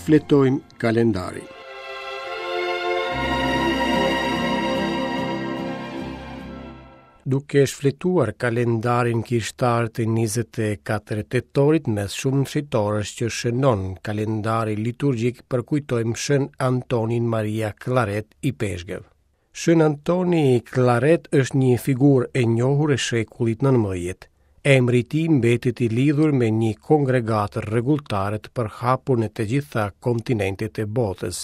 Shfletojmë kalendarin. Duke shfletuar kalendarin kishtar të 24 tetorit mes shumë shejtorësh që shënon kalendari liturgjik përkujtojmë Shën Antonin Maria Claret ipeshkëv. Shën Antoni Claret është një figurë e njohur e shekullit 19. Emri i tij mbetet i lidhur me një kongregatë rregulltare të përhapur në të gjitha kontinentet e botës.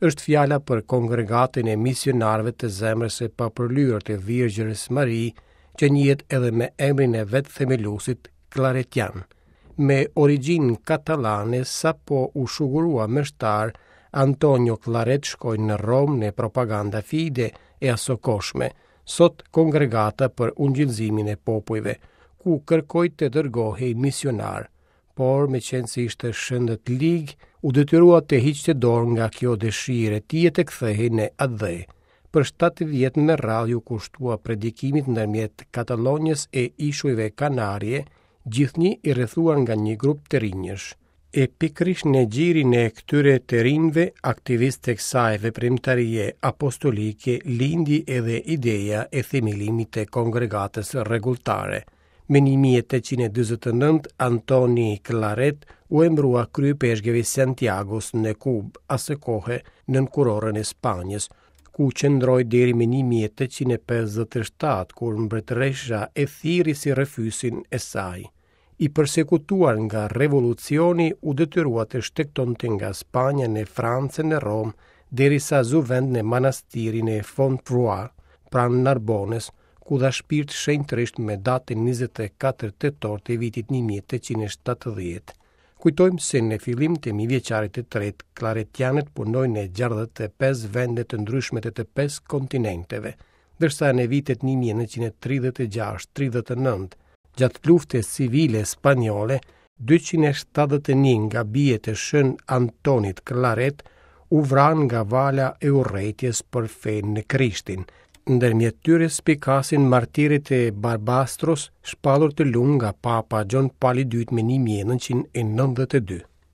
Është fjala për kongregatën e misionarëve të zemrës së papërlyer të Virgjërës Mari, që njihet edhe me emrin e vetë themeluesit Claretian. Me origjinë katalane, sapo u shugurua meshtar, Antonio Claret shkoi në Romë në Propaganda Fide e asokohshme, sot Kongregata për Ungjillëzimin e Popujve, ku kërkoi të dërgohej misionar, por meqenëse ishte shëndetlig, u detyrua të hiqte dorë nga kjo dëshirë e tij e të kthehej në atdhe. Për 7 vjet me radhë iu kushtua predikimit ndërmjet Katalonjës e Ishujve Kanarie, gjithnjë i rrethuar nga një grup të rinjsh. E pikërisht në gjirin e këtyre të rinjve, aktivistë të kësaj veprimtarie apostolike, lindi edhe ideja e themelimit të kongregatës rregulltare. Më 1849, Antoni Claret u emërua kryeipeshkëv i Santiagos në Kubë, asokohe nën kurorën e Spanjës, ku qëndroi deri më 1857, kur mbretëresha e thirri si rrëfyesin e saj. I persekutuar nga revolucioni, u detyrua të shtegtonte nga Spanja në Francë në Romë, derisa zu vend në manastirin e Fontevraud, pranë Narbonës, ku dha shpirt shenjtërisht me datën 24 tetor të vitit 1870. Kujtojmë se në fillim të mijëvjeçarit të tretë, klaretianët punojnë në 65 vende të ndryshme të të pesë kontinenteve, ndërsa në vitet 1936-39, Gjatë luftës civile spanjolle, 271 nga bijtë e Shën Antonit Claret u vranë nga vala e urrejtjes për fenë në Krishtin. Ndërmjet tyre spikasin martirët e Barbastros, shpallur të lumtur nga Papa Gjon Pali II më 1992.